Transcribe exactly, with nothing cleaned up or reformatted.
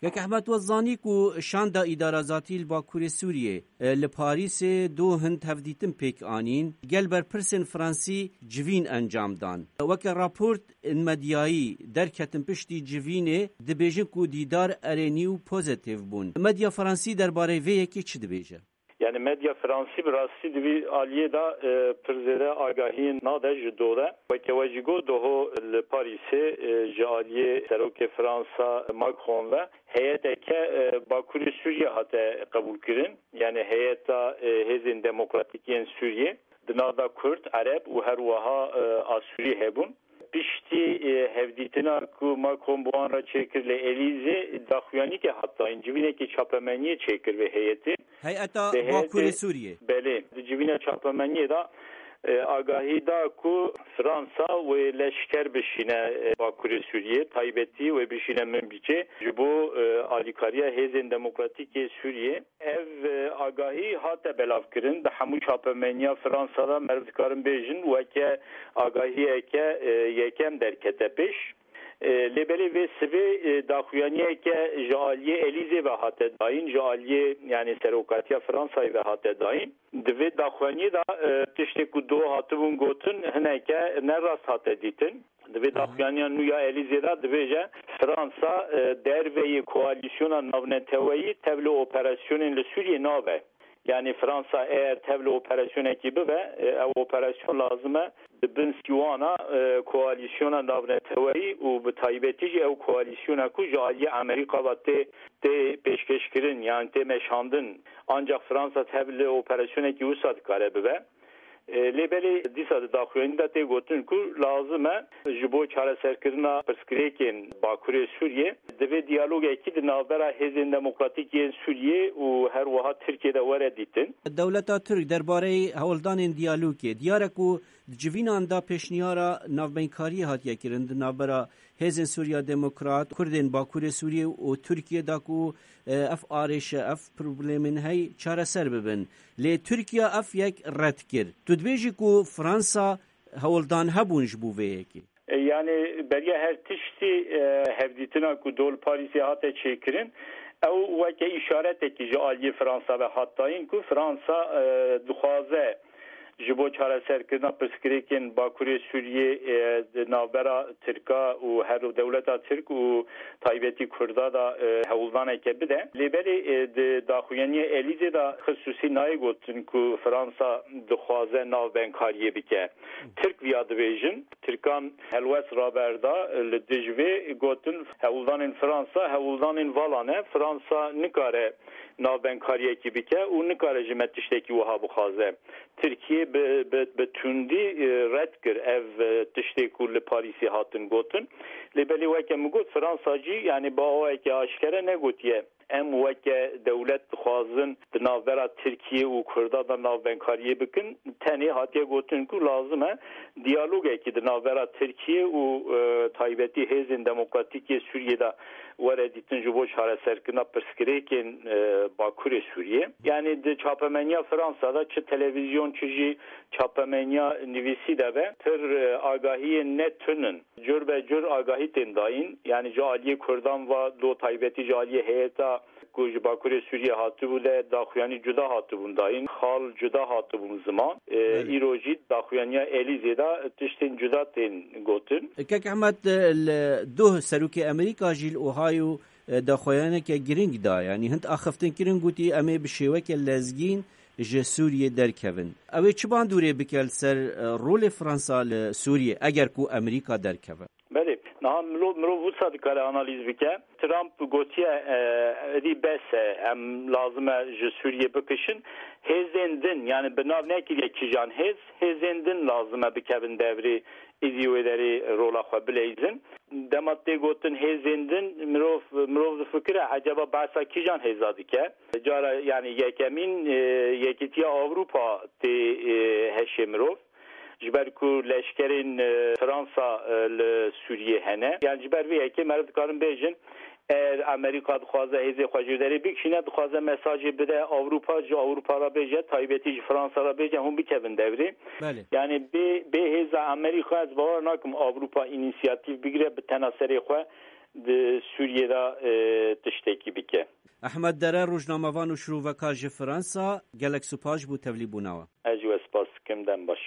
Kek Ehmed, we zanî ku şanda îdarazatî li Bakurê Sûriyê, e, li Parîsê du hind hevdîtin pêk anîn, gel berpirsên Fransî civîn encam dan. Weke raport in medyayî derketin piştî civînê, dibêjin ku dîdar erênî û pozîtîf bûn. Medya Fransî derbarê vê yekê çi dibêje? Yani medya Fransî bi rastî di vî aliyê de, e, pir zêde agahiyên nade ji do de. Weke we jî got, doho li Parîsê, e, ji aliyê Serokê Fransa Macron ve heyeteke, e, Bakurê Sûriyê hate qebûlkirin. Yani heyeta, e, Hêzên Demokratîk yên Sûriyê. Di nav de Kurd, Ereb û her wiha, e, Asûrî hebûn. Piştî, e, hevdîtina ku Macron bi wan re çêkir li Elîzê, daxuyanîkê hat dayîn, civînekî çapemeniyê çêkir vê heyetê. Heyeta Vê heyetê Bakurê Sûriyê. Belê, di civîna çapemeniyê de, e, agahî da ku Fransa wê leşker bişîne, e, Bakurê Sûriyê, taybetî wê bişîne Minbicê ji bo, e, alîkariya Hêzên Demokratîk ê Sûriyê. Ev, e, agahî hate belavkirin. Di hemû çapemeniya Fransa de meriv dikarin bêjin weke agahiyeke, e, yekem derkete pêş. E, lê belê vê sivê, e, daxuyaniyeke ji aliyê Elîzê ve hate dayîn, ji aliyê, yani serokatiya Fransayê ve hate dayîn. Di vê daxuyaniyê de, e, tiştê ku do hatibûn gotin, hineke ne rast hate dîtin. Di vê daxuyaniya nû ya Elîzê de dibêje, Fransa, e, derveyî koalîsyona navneteweyî tevlî operasyonên li Sûriyê nabe. Yani Fransa eger tevlî operasyonekî bibe, e, ew operasyon lazim e di bin sîwana, e, koalîsyona navneteweyî û bi taybetî jî ew koalîsyona ku ji aliyê Amerîka ve tê, tê pêşkêşkirin, yani tê meşandin. Ancak Fransa tevlî operasyonekî wisa dikare bibe. E, lê belê dîsa di daxuyanî de tê gotin ku lazim e ji bo çareserkirina pirsgirêkên Bakurê Sûriyê divê diyalogekî di navbera Hêzên Demokratîk yên Sûriyê û her wiha Tirkiyê de were dîtin. Dewleta Tirk derbareyî hewldanên diyalogê diyar e ku di civînan de pêşniyara navbeynkariye hatiye kirin di navbera Hêzên Sûriya Demokrat, Kurdên Bakurê Sûriyê û Tirkiyê de ku, e, ev arêşe, ev problemên hey çareser bibin. Lê Tirkiye ev yek red kir. Tu dibêjî ku Fransa hewldan hebûn ji bo vê yekê? E, yani beriya her tiştî, e, hevdîtina ku do li Parîsê hate çêkirin, ew weke îşaretekî ji aliyê Fransa ve hat dayîn ku Fransa, e, dixwaze ji bo çareserkirina pirsgirêkên Bakurê Sûriyê, e, di navbera Tirka û her dewleta Tirk û taybetî Kurda de, e, hewldaneke bide. Lê belê, e, di daxuyaniya Elîzê de xisûsî nayê gotin ku Fransa dixwaze navbenkariyê bike. Tirk viya dibêjin. Tirkan helwest raberda, e, li dij vê gotin hewldanên Fransa hewldanên vala ne. Fransa nikare navbenkariyekî bike û nikare ji me tiştekî wiha bixwaze. Tirkiye bi, bi, bi tundî, e, red kir ev, e, tiştê ku li Parîsê hatin gotin. Lê belê weke min got, Fransa jî, yani bi awayeke aşkere negotiye, em weke dewlet dixwazin di navbera Tirkiye û Kurda de navbenkariyê bikin. Tenê hatiye gotin ku lazim e diyalogekî di navbera Tirkiye û, e, taybetî Hêzên Demokratîk yê Sûriyê de were dîtin ji bo çareserkirina pirsgirêkên, e, Bakurê Sûriyê. Yani di çapemeniya Fransa de çi televîzyon çi jî çapemeniya nivîsî de be, pir, e, agahiyên ne tun in. Cur be cur agahî tên dayîn. Yani ji aliyê Kurdan ve do taybetî ji aliyê heyeta ku ji Bakurê Sûriyê hatibû de daxuyanî cuda hatibûn dayîn. Xal cuda hatibûn ziman. E, Belê. Îro jî daxuyaniya Elîzê de tiştên cuda tên gotin. Kek Ehmed, e, li doh serokê Amerîka jî li Ohio, e, daxuyaniyeke giring da. Yani hind axiftin kirin, gotî em ê bi şêweke lezgîn ji Sûriyê derkevin. Ew ê çi bandorê bike li ser, e, rolê Fransa li Sûriyê eger ku Amerîka derkeve? Belê, niha milo-, mirov wisa dikare analîz bike. Trump gotiye, e, êdî bes e, em lazim e ji Sûriyê bikişin. Hêzên din, yani bi nav nekiriye kîjan hêz, hêzên din lazim e bikevin devrê, êdî wê derê rola xwe bileyzin. Dema tê gotin hêzên din, mirov, mirov difikire, eceba behsa kîjan hêza dike? Cara, yani yekemîn, e, Yekîtiya Ewropa tê, e, heşê mirov. Ji ber ku leşkerên, e, Fransa, e, li Sûriyê hene. Yani ji ber vê yekê meriv dikarin bêjin, eger Amerîka dixwaze hêzê xwe ji derê bikişîne, dixwaze mesajê bide Ewropa, ji Ewropa re bêje, taybetî ji Fransa re bêje, hûn bikevin devrê. Belê. Yani bê, bê hêza Amerîka ez bawer nakim Ewropa înîsiyatîf bigire, bi tena serê xwe di Sûriyê de, e, tiştekî bike. Ehmed Dere, rojnamevan û şirovekar ji Fransa, gelek spas ji bo tevlîbûna we. Ez jî we spas dikim, dem baş.